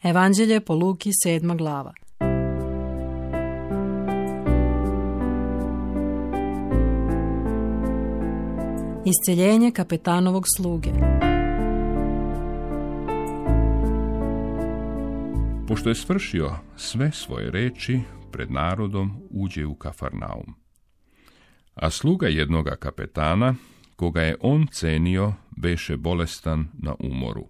Evanđelje po Luki 7. glava. Isceljenje kapetanovog sluge. Pošto je svršio sve svoje reči, pred narodom uđe u Kafarnaum. A sluga jednoga kapetana, koga je on cenio, beše bolestan na umoru.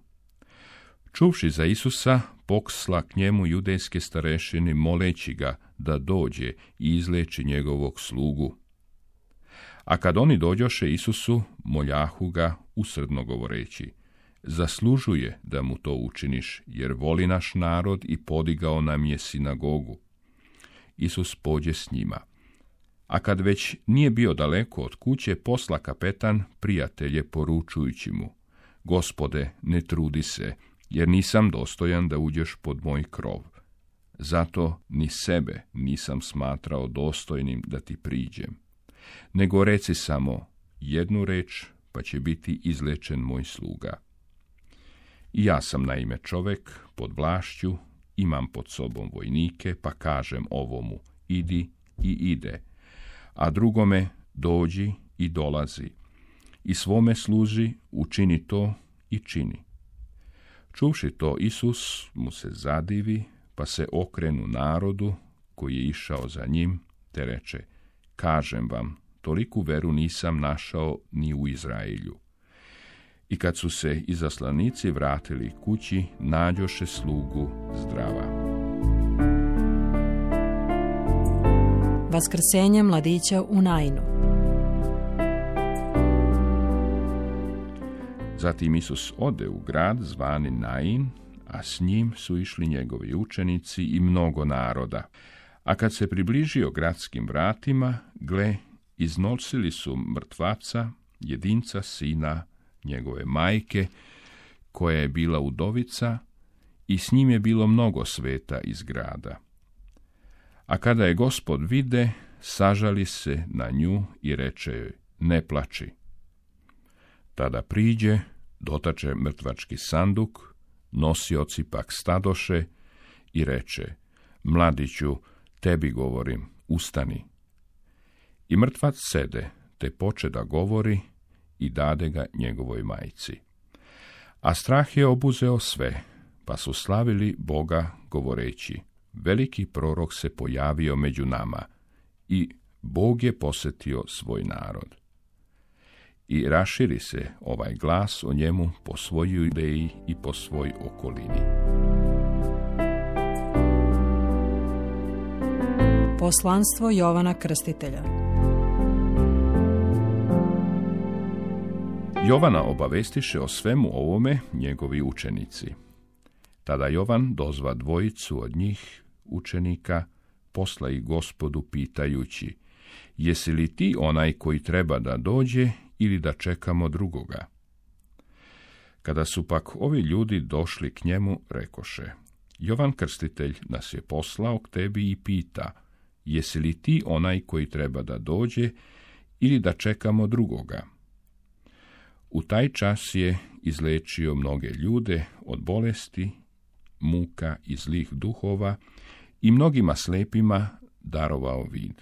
Čuvši za Isusa, poksla k njemu judejske starešini, moleći ga da dođe i izleči njegovog slugu. A kad oni dođoše Isusu, moljahu ga usrdno govoreći: zaslužuje da mu to učiniš, jer voli naš narod i podigao nam je sinagogu. Isus pođe s njima. A kad već nije bio daleko od kuće, posla kapetan prijatelje poručujući mu: Gospode, ne trudi se, jer nisam dostojan da uđeš pod moj krov. Zato ni sebe nisam smatrao dostojnim da ti priđem. Nego reci samo jednu reč, pa će biti izlečen moj sluga. I ja sam naime čovek pod vlašću, imam pod sobom vojnike, pa kažem ovomu: idi i ide, a drugome: dođi i dolazi, i svome služi učini to i čini. Čuvši to, Isus mu se zadivi, pa se okrenu narodu koji je išao za njim, te reče: kažem vam, toliku veru nisam našao ni u Izraelju. I kad su se izaslanici vratili kući, nađoše slugu zdrava. Vaskrsenje mladića u Nainu. Zatim Isus ode u grad zvani Nain, a s njim su išli njegovi učenici i mnogo naroda. A kad se približio gradskim vratima, gle, iznosili su mrtvaca, jedinca sina njegove majke, koja je bila udovica, i s njim je bilo mnogo sveta iz grada. A kada je Gospod vide, sažali se na nju i reče joj: ne plači. Tada priđe, dotače mrtvački sanduk, nosioci pak stadoše i reče: mladiću, tebi govorim, ustani. I mrtvac sede, te poče da govori, i dade ga njegovoj majci. A strah je obuzeo sve, pa su slavili Boga govoreći: veliki prorok se pojavio među nama i Bog je posjetio svoj narod. I raširi se ovaj glas o njemu po svojoj Judeji i po svoj okolini. Poslanstvo Jovana Krstitelja. Jovana obavestiše o svemu ovome njegovi učenici. Tada Jovan dozva dvojicu od njih, učenika, posla ih Gospodu pitajući: jesi li ti onaj koji treba da dođe ili da čekamo drugoga? Kada su pak ovi ljudi došli k njemu, rekoše: Jovan Krstitelj nas je poslao k tebi i pita: jesi li ti onaj koji treba da dođe ili da čekamo drugoga? U taj čas je izlečio mnoge ljude od bolesti, muka i zlih duhova i mnogima slepima darovao vid.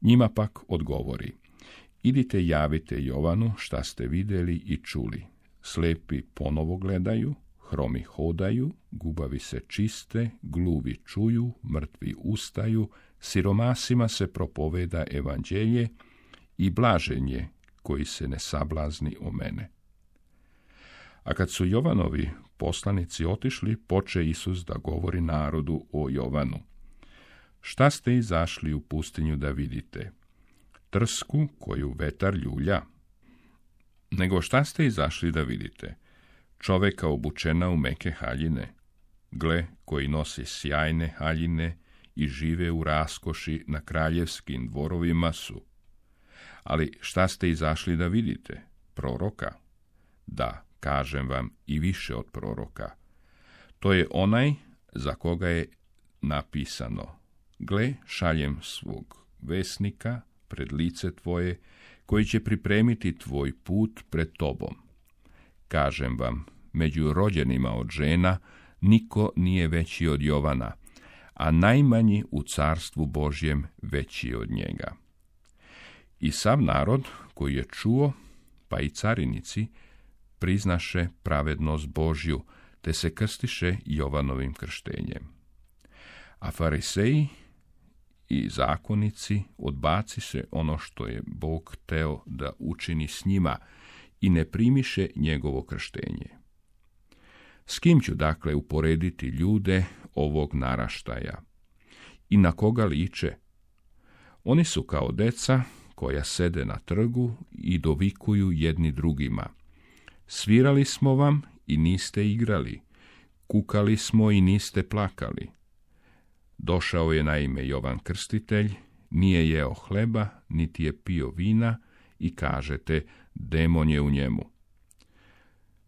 Njima pak odgovori: idite javite Jovanu šta ste vidjeli i čuli. Slepi ponovo gledaju, hromi hodaju, gubavi se čiste, gluvi čuju, mrtvi ustaju, siromasima se propoveda evanđelje i blažen je koji se ne sablazni o mene. A kad su Jovanovi poslanici otišli, poče Isus da govori narodu o Jovanu: šta ste izašli u pustinju da vidite? Trsku koju vetar ljulja? Nego šta ste izašli da vidite? Čoveka obučena u meke haljine? Gle, koji nosi sjajne haljine i žive u raskoši na kraljevskim dvorovima su. Ali šta ste izašli da vidite? Proroka? Da, kažem vam, i više od proroka. To je onaj za koga je napisano: gle, šaljem svog vesnika pred lice tvoje, koji će pripremiti tvoj put pred tobom. Kažem vam, među rođenima od žena niko nije veći od Jovana, a najmanji u carstvu Božjem veći od njega. I sav narod koji je čuo, pa i carinici, priznaše pravednost Božju, te se krstiše Jovanovim krštenjem. A fariseji i zakonici odbaci se ono što je Bog hteo da učini s njima i ne primiše njegovo krštenje. S kim ću dakle uporediti ljude ovog naraštaja? I na koga liče? Oni su kao deca koja sede na trgu i dovikuju jedni drugima. Svirali smo vam i niste igrali, kukali smo i niste plakali. Došao je naime Jovan Krstitelj, nije jeo hleba, niti je pio vina i kažete, demon je u njemu.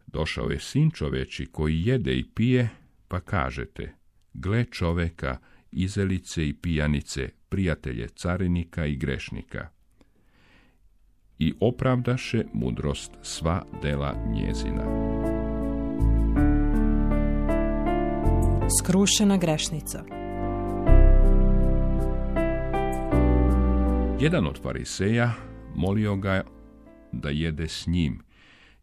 Došao je Sin čoveči koji jede i pije, pa kažete, gle čoveka, izelice i pijanice, prijatelje carinika i grešnika. I opravdaše mudrost sva dela njezina. Skrušena grešnica. Jedan od fariseja molio ga da jede s njim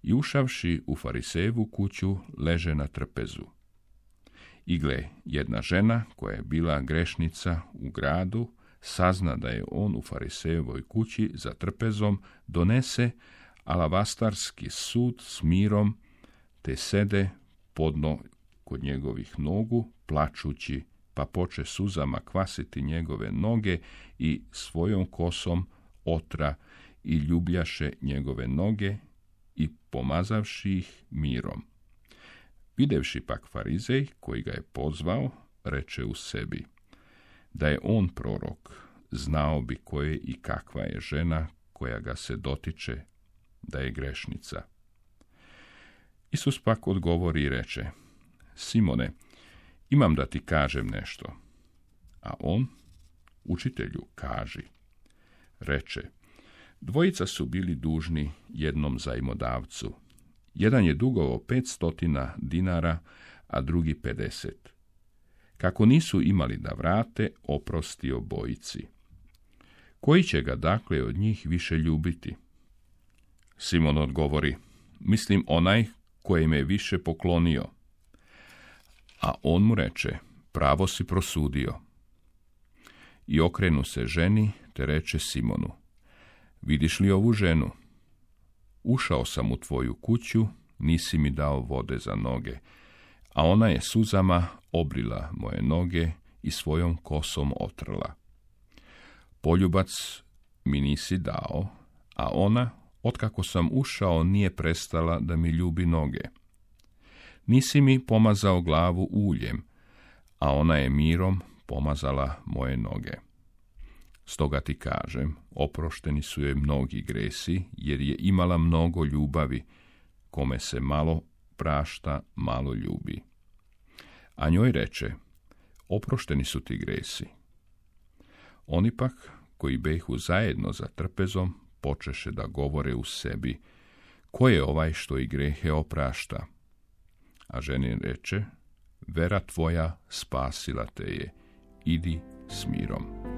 i ušavši u farisejevu kuću leže na trpezu. I gle, jedna žena koja je bila grešnica u gradu sazna da je on u farisejevoj kući za trpezom, donese alavastarski sud s mirom, te sede podno kod njegovih nogu, plačući, pa poče suzama kvasiti njegove noge i svojom kosom otra i ljubljaše njegove noge i pomazavši ih mirom. Videvši pak farizej, koji ga je pozvao, reče u sebi, da je on prorok, znao bi ko je i kakva je žena koja ga se dotiče, da je grešnica. Isus pak odgovori i reče, Simone, imam da ti kažem nešto. A on, učitelju, kaži. Reče, dvojica su bili dužni jednom zajmodavcu. Jedan je dugovao 500 dinara, a drugi 50. Kako nisu imali da vrate, oprosti obojici. Koji će ga dakle od njih više ljubiti? Simon odgovori, mislim onaj koji me više poklonio. A on mu reče, pravo si prosudio. I okrenu se ženi, te reče Simonu, vidiš li ovu ženu? Ušao sam u tvoju kuću, nisi mi dao vode za noge, a ona je suzama obrila moje noge i svojom kosom otrla. Poljubac mi nisi dao, a ona, otkako sam ušao, nije prestala da mi ljubi noge. Nisi mi pomazao glavu uljem, a ona je mirom pomazala moje noge. Stoga ti kažem, oprošteni su joj mnogi gresi, jer je imala mnogo ljubavi, kome se malo prašta, malo ljubi. A njoj reče, oprošteni su ti gresi. Oni pak, koji behu zajedno za trpezom, počeše da govore u sebi, ko je ovaj što i grehe oprašta? A ženi reče, vera tvoja spasila te je, idi s mirom.